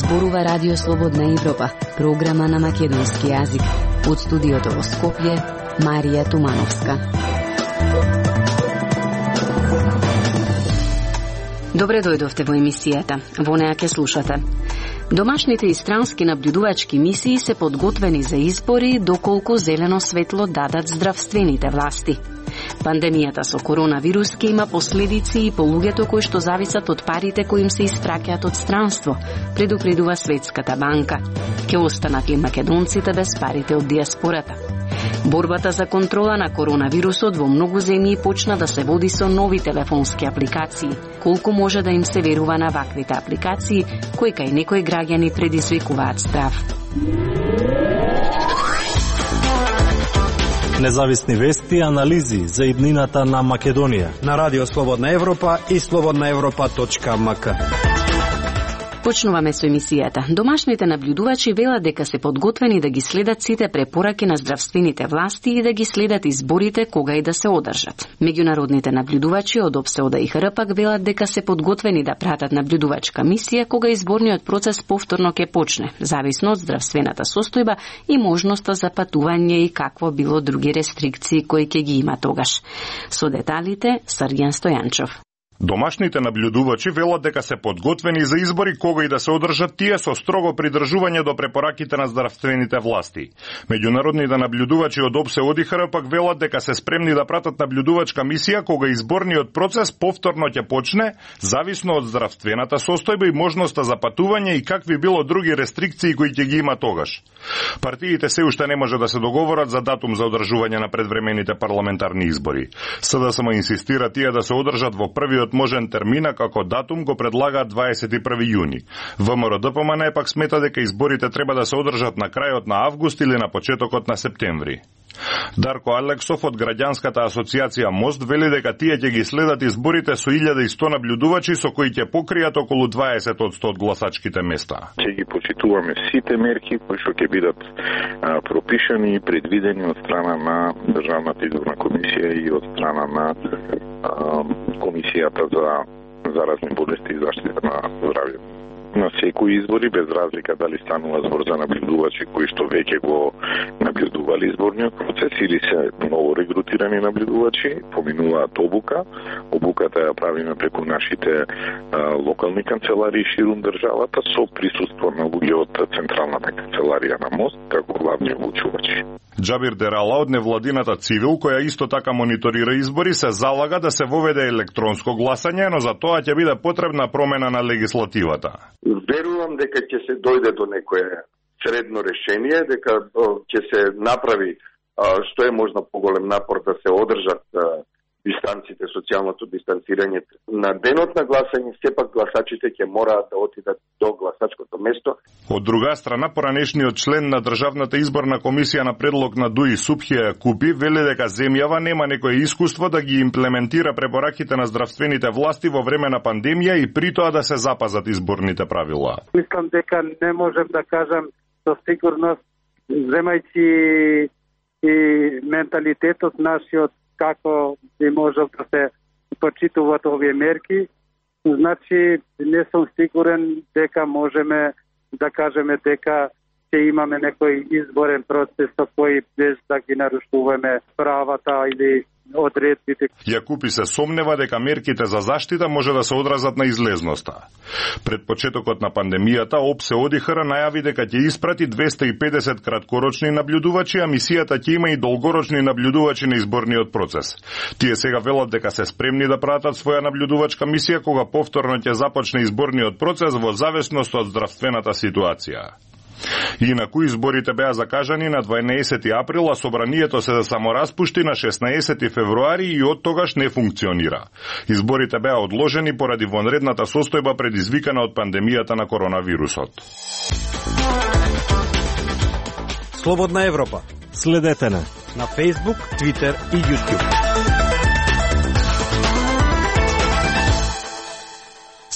зборува Радио Слободна Европа, програма на македонски јазик. Од студиото во Скопје, Марија Тумановска. Добре дојдовте во емисијата. Во неа ќе слушате. Домашните и странски наблюдувачки мисии се подготвени за избори доколку зелено светло дадат здравствените власти. Пандемијата со коронавирус ќе има последици и по луѓето кои што зависат од парите кои им се испраќаат од странство, предупредува Светската банка. Ќе останат ли македонците без парите од диаспората? Борбата за контрола на коронавирусот во многу земји почна да се води со нови телефонски апликации. Колку може да им се верува на ваквите апликации, кои кај некои граѓани предизвикуваат страв? Независни вести и анализи за иднината на Македонија на Радио Слободна Европа и slobodnaevropa.mk. Почнуваме со емисијата. Домашните наблюдувачи велат дека се подготвени да ги следат сите препораки на здравствените власти и да ги следат изборите кога и да се одржат. Меѓународните наблюдувачи од ОБСЕ и ХРП велат дека се подготвени да пратат наблюдувачка мисија кога изборниот процес повторно ќе почне, зависно од здравствената состојба и можноста за патување и какво било други рестрикции кои ќе ги има тогаш. Со деталите Срѓан Стојанчов. Домашните наблюдувачи велат дека се подготвени за избори кога и да се одржат тие со строго придржување до препораките на здравствените власти. Меѓународните наблюдувачи од ОБСЕ и ХРП велат дека се спремни да пратат наблюдувачка мисија кога изборниот процес повторно ќе почне, зависно од здравствената состојба и можноста за патување и какви било други рестрикции кои ќе ги има тогаш. Партиите се уште не може да се договорат за датум за одржување на предвремените парламентарни избори. СДСМ инсистира тие да се одржат во првиот можен термина, како датум го предлагаат 21 јуни. ВМРО-ДПМН пак смета дека изборите треба да се одржат на крајот на август или на почетокот на септември. Дарко Алексов од Граѓанската асоциација Мост вели дека тие ќе ги следат изборите со 1100 наблюдувачи со кои ќе покријат околу 20% од гласачките места. Ќе ги почитуваме сите мерки кои што ќе бидат пропишани и предвидени од страна на Државната изборна комисија и од страна на Комисијата за заразни болести и заштита на здравјето. На секои избори, без разлика дали станува збор за наблюдувачи кои што веќе го наблюдували изборниот процес или се ново регрутирани наблюдувачи, поминуваат обука. Обуката ја правиме преку нашите локални канцеларии ширум државата со присуство на луѓе од Централната канцеларија на Мост, како главни обучувачи. Џабир Дерала од невладината Цивил, која исто така мониторира избори, се залага да се воведе електронско гласање, но за тоа ќе биде потребна промена на легислативата. Верувам дека ќе се дојде до некое средно решение, дека ќе се направи што е можно поголем напор да се одржат дистанците, социјалното дистанцирање. На денот на гласање, сепак гласачите ќе мораат да отидат до гласачкото место. Од друга страна, поранешниот член на Државната изборна комисија на предлог на ДУИ Супхија Купи вели дека земјава нема некое искуство да ги имплементира препораките на здравствените власти во време на пандемија и при тоа да се запазат изборните правила. Мислам дека не можем да кажам со сигурност, земајќи и менталитетот нашиот како би можел да се почитуваат овие мерки, значи не сум сигурен дека можеме да кажеме дека ќе имаме некој изборен процес со кој без да ги нарушуваме правата или одредбите. Јакупи се сомнева дека мерките за заштита може да се одразат на излезноста. Пред почетокот на пандемијата, ОБСЕ ОДИХР најави дека ќе испрати 250 краткорочни наблюдувачи, а мисијата ќе има и долгорочни наблюдувачи на изборниот процес. Тие сега велат дека се спремни да пратат своја наблюдувачка мисија кога повторно ќе започне изборниот процес во зависност од здравствената ситуација. Инаку изборите беа закажани на 12 април, а собранието се самораспушти на 16 февруари и од тогаш не функционира. Изборите беа одложени поради вонредната состојба предизвикана од пандемијата на коронавирусот. Слободна Европа. Следете на Facebook, Twitter и YouTube.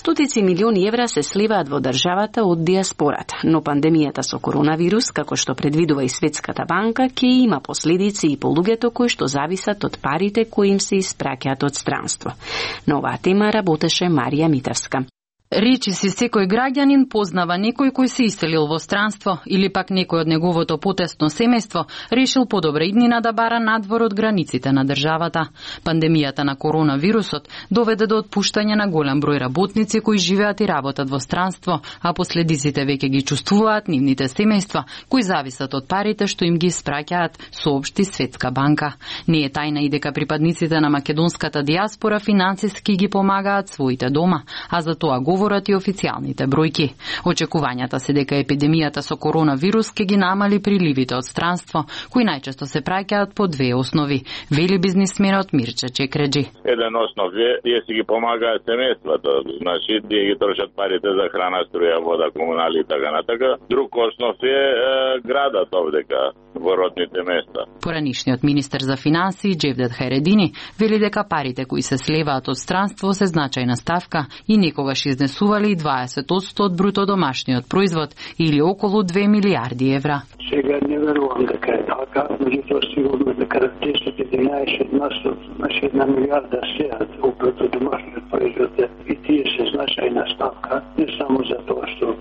Стотици милиони евра се сливаат во државата од диаспората, но пандемијата со коронавирус, како што предвидува и Светската банка, ќе има последици и по луѓето кои што зависат од парите кои им се испраќаат од странство. На оваа тема работеше Марија Митевска. Речи си секој граѓанин познава некој кој се иселил во странство или пак некој од неговото потесно семејство решил подобра иднина да бара надвор од границите на државата. Пандемијата на коронавирусот доведе до отпуштање на голем број работници кои живеат и работат во странство, а последиците веќе ги чувствуваат нивните семејства кои зависат од парите што им ги испраќаат, соопшти Светска банка. Не е тајна и дека припадниците на македонската дијаспора финансиски ги помагаат своите дома, а за тоа говорат и официјалните бројки. Очекувањата се дека епидемијата со коронавирус ќе ги намали приливите од странство, кои најчесто се праќаат по две основи, вели бизнисменот Мирче Чекреджи. Еден основ е, тие си ги помагаат семејствата, значи тие ги трошат парите за храна, струја, вода, комунали и така натака. Друг основ е градот овдека во родните места. Поранишниот министер за финансии Джевдет Хајредини вели дека парите кои се слеваат од странство се значајна ставка и некогаш изнесували 20% од бруто домашниот производ или околу 2 милиарди евра. Сега не верувам дека е така, меѓутоа сигурно дека 10-11% значи 1 милиарда сеат од бруто домашниот производ и тие се значајна ставка, не само за тоа што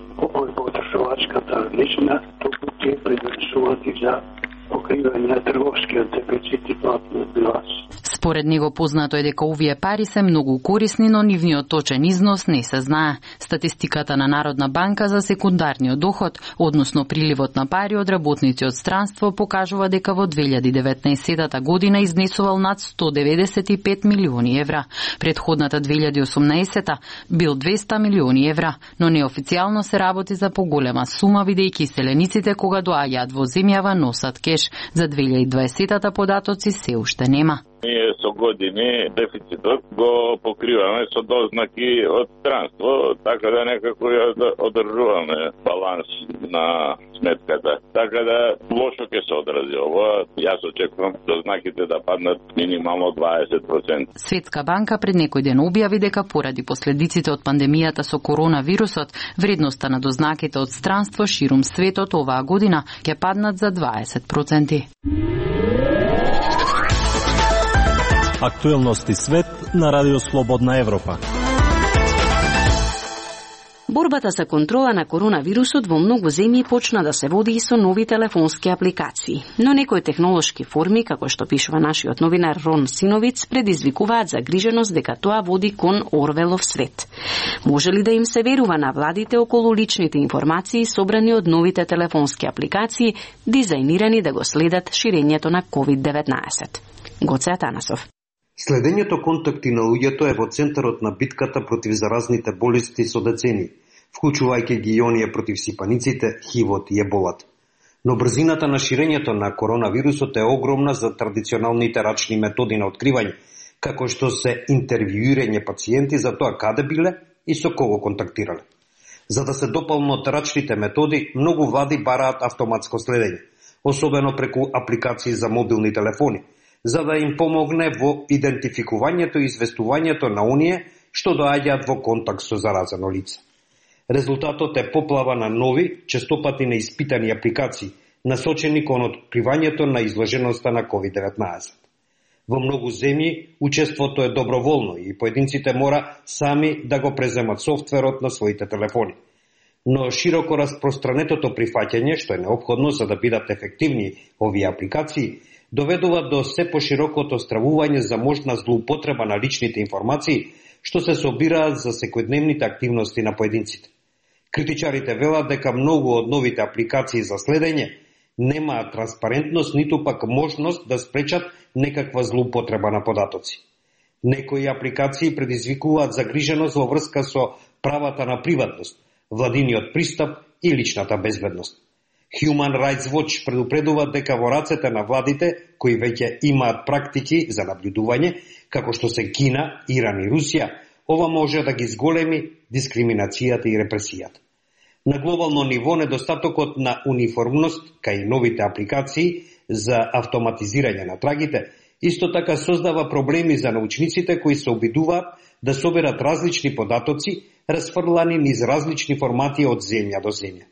потребувачката лична, туку тие предонесуваат и за покривање на трговскиот дефицит и платниот биланс. Според него познато е дека овие пари се многу корисни, но нивниот точен износ не се знае. Статистиката на Народна банка за секундарниот доход, односно приливот на пари од работници од странство, покажува дека во 2019 година изнесувал над 195 милиони евра. Предходната 2018 бил 200 милиони евра, но неофицијално се работи за поголема сума, бидејќи селениците кога доаѓаат во земјава носат кеш. За 2020 податоци се уште нема. Ние со години дефицитот го покриваме со дознаки од странство, така да некако ја одржуваме баланс на сметката. Така да лошо ќе се одрази ово. Јас очекувам дознаките да паднат минимално 20%. Светска банка пред некој ден објави дека поради последиците од пандемијата со коронавирусот, вредноста на дознаките од странство ширум светот оваа година ќе паднат за 20%. Актуелности свет на Радио Слободна Европа. Борбата за контрола на коронавирусот во многу земји почна да се води и со нови телефонски апликации. Но некои технолошки форми, како што пишува нашиот новинар Рон Синовиц, предизвикуваат загриженост дека тоа води кон Орвелов свет. Може ли да им се верува на владите околу личните информации собрани од новите телефонски апликации, дизајнирани да го следат ширењето на COVID-19? Гоце Атанасов. Следењето контакти на луѓето е во центарот на битката против заразните болести со децени, вклучувајќи ги и оние против сипаниците, хивот и еболат. Но брзината на ширењето на коронавирусот е огромна за традиционалните рачни методи на откривање, како што се интервјуирање пациенти за тоа каде биле и со кого контактирале. За да се дополнат рачните методи, многу влади бараат автоматско следење, особено преку апликации за мобилни телефони, за да им помогне во идентификувањето и известувањето на оние што доаѓаат во контакт со заразено лице. Резултатот е поплава на нови, честопати неиспитани апликации, насочени кон откривањето на изложеноста на COVID-19. Во многу земји учеството е доброволно и поединците мора сами да го преземат софтверот на своите телефони. Но широко распространетото прифаќање, што е неопходно за да бидат ефективни овие апликации, доведува до се поширокото стравување за можна злоупотреба на личните информации, што се собираат за секојдневните активности на поединците. Критичарите велат дека многу од новите апликации за следење немаат транспарентност, ниту пак можност да спречат некаква злоупотреба на податоци. Некои апликации предизвикуваат загриженост во врска со правата на приватност, владиниот пристап и личната безбедност. Human Rights Watch предупредува дека во рацете на владите, кои веќе имаат практики за наблюдување, како што се Кина, Иран и Русија, ова може да ги зголеми дискриминацијата и репресијата. На глобално ниво, недостатокот на униформност, кај новите апликации за автоматизирање на трагите, исто така создава проблеми за научниците кои се обидуваат да соберат различни податоци, расфрлани низ различни формати од земја до земја.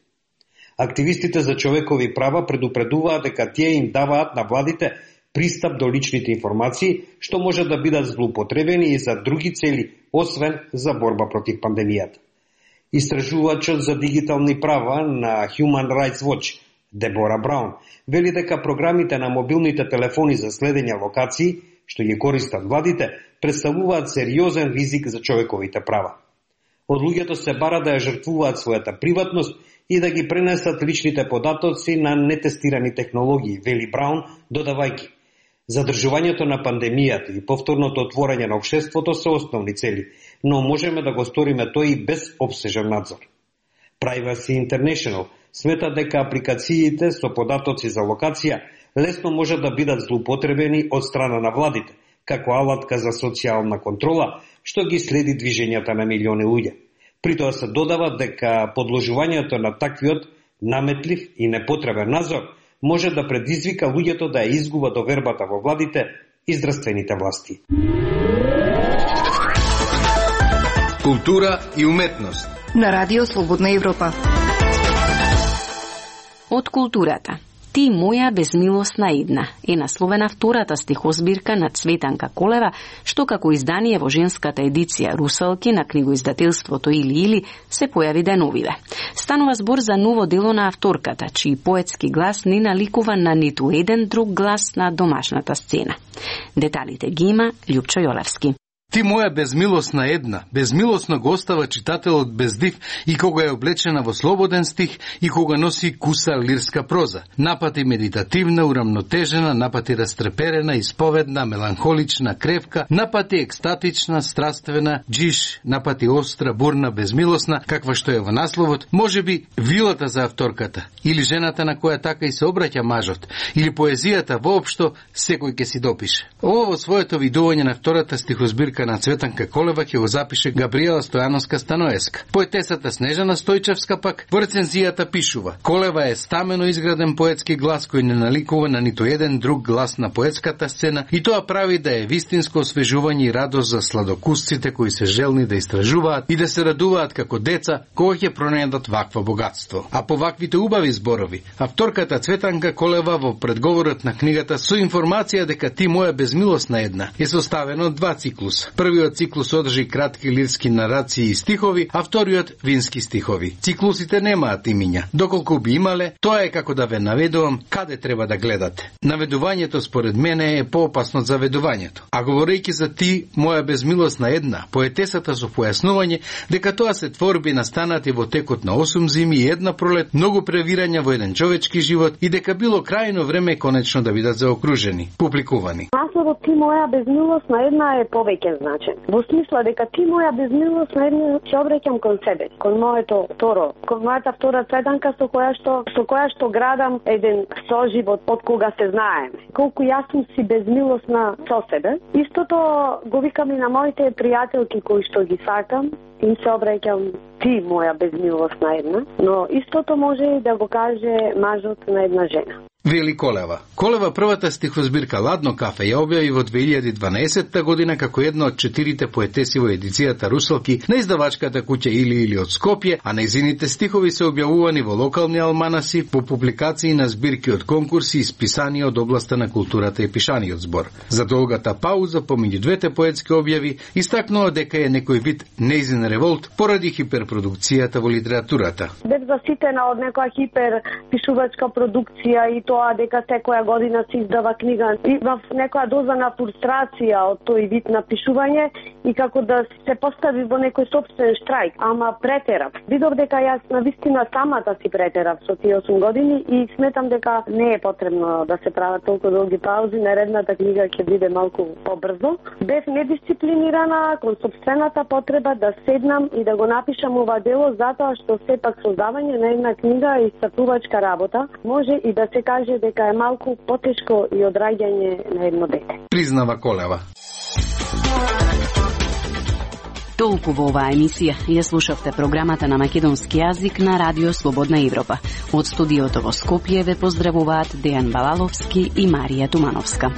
Активистите за човекови права предупредуваат дека тие им даваат на владите пристап до личните информации, што може да бидат злоупотребени и за други цели, освен за борба против пандемијата. Истражувачот за дигитални права на Human Rights Watch, Дебора Браун, вели дека програмите на мобилните телефони за следење локации, што ги користат владите, представуваат сериозен ризик за човековите права. Од луѓето се бара да ја жртвуваат својата приватност и да ги пренесат личните податоци на нетестирани технологии, вели Браун, додавајќи: задржувањето на пандемијата и повторното отворање на општеството се основни цели, но можеме да го сториме тој и без обсежен надзор. Privacy International смета дека апликациите со податоци за локација лесно може да бидат злоупотребени од страна на владите, како алатка за социјална контрола, што ги следи движењата на милиони луѓе. При тоа се додава дека подложувањето на таквиот наметлив и непотребен надзор може да предизвика луѓето да ја изгуба довербата во владите и здравствените власти. Култура и уметност на Радио Слободна Европа. Од културата. Ти моја безмилосна една е насловена втората стихозбирка на Цветанка Колева, што како издание во женската едиција Русалки на книгоиздателството Или се појави деновиве. Станува збор за ново дело на авторката, чиј поетски глас не наликува на ниту еден друг глас на домашната сцена. Деталите ги има Љупчо Јолевски. Ти моја безмилосна една, безмилосно го остава читателот без див и кога е облечена во слободен стих и кога носи куса лирска проза. Напати медитативна, урамнотежена, напати растреперена, исповедна, меланхолична, кревка, напати екстатична, страствена, джиш, напати остра, бурна, безмилосна, каква што е во насловот, можеби вилата за авторката, или жената на која така и се обраќа мажот, или поезијата воопшто, секој ќе си допише. Ово во своето видување на втората стихозбирка на Цветанка Колева ќе го запише Габриела Стојановска-Станоеска. Поетесата Снежана Стојчевска пак во рецензијата пишува: Колева е стамено изграден поетски глас кој не наликува на ниту еден друг глас на поетската сцена и тоа прави да е вистинско освежување и радост за сладокусците кои се желни да истражуваат и да се радуваат како деца кога ќе пронајдат вакво богатство. А по ваквите убави зборови, авторката Цветанка Колева во предговорот на книгата со информација дека Ти моја безмилосна една е составено од два циклуса. Првиот циклус одржи кратки лирски нарации и стихови, а вториот вински стихови. Циклусите немаат имиња. Доколку би имале, тоа е како да ве наведувам каде треба да гледате. Наведувањето според мене е поопасно од заведувањето. А говорејќи за Ти моја безмилосна една, поетесата со појаснување дека тоа се творби настанати во текот на 8 зими и една пролет, многу превирања во еден човечки живот и дека било крајно време конечно да бидат заокружени, публикувани. Насловот Ти моја безмилосна една е повеќе значен. Во смисла дека Ти моја безмилосна една ќе обраќам кон себе, кон моето второ, кон мојата втора Цветанка со која што градам еден соживот од кога се знаеме. Колку јас сум си безмилосна со себе, истото го викам и на моите пријателки кои што ги сакам, им се обраќам Ти моја безмилосна една, но истото може и да го каже мажот на една жена. Вели Колева. Колева првата стихозбирка Ладно кафе ја објави во 2012 година како една од 4 поетеси во едицијата Русалки на издавачката куќа Или од Скопје, а нејзините стихови се објавувани во локални алманаси, по публикации на збирки од конкурси и списани од областа на културата и пишаниот збор. За долгата пауза помеѓу двете поетски објави истакнува дека е некој вид нејзин револт поради хиперпродукцијата во литературата. Бев заситена од некоја хиперпишувачка продукција и тоа дека секоја година се издава книга и во некоја доза на фрустрација од тој вид на пишување и како да се постави во некој сопствен штрајк, ама претерав. Видов дека јас навистина самата си претерав со тие 8 години и сметам дека не е потребно да се прават толку долги паузи, наредната книга ќе биде малку побрзо. Бев недисциплинирана кон сопствената потреба да седнам и да го напишам ова дело затоа што сепак создавање на една книга и статувачка работа може и да се каже дека е малку потешко и од раѓање на едно дете. Признава Колева. Толку во оваа емисија ја слушавте програмата на македонски јазик на Радио Слободна Европа. Од студиото во Скопје ве поздравуваат Дејан Балаловски и Марија Тумановска.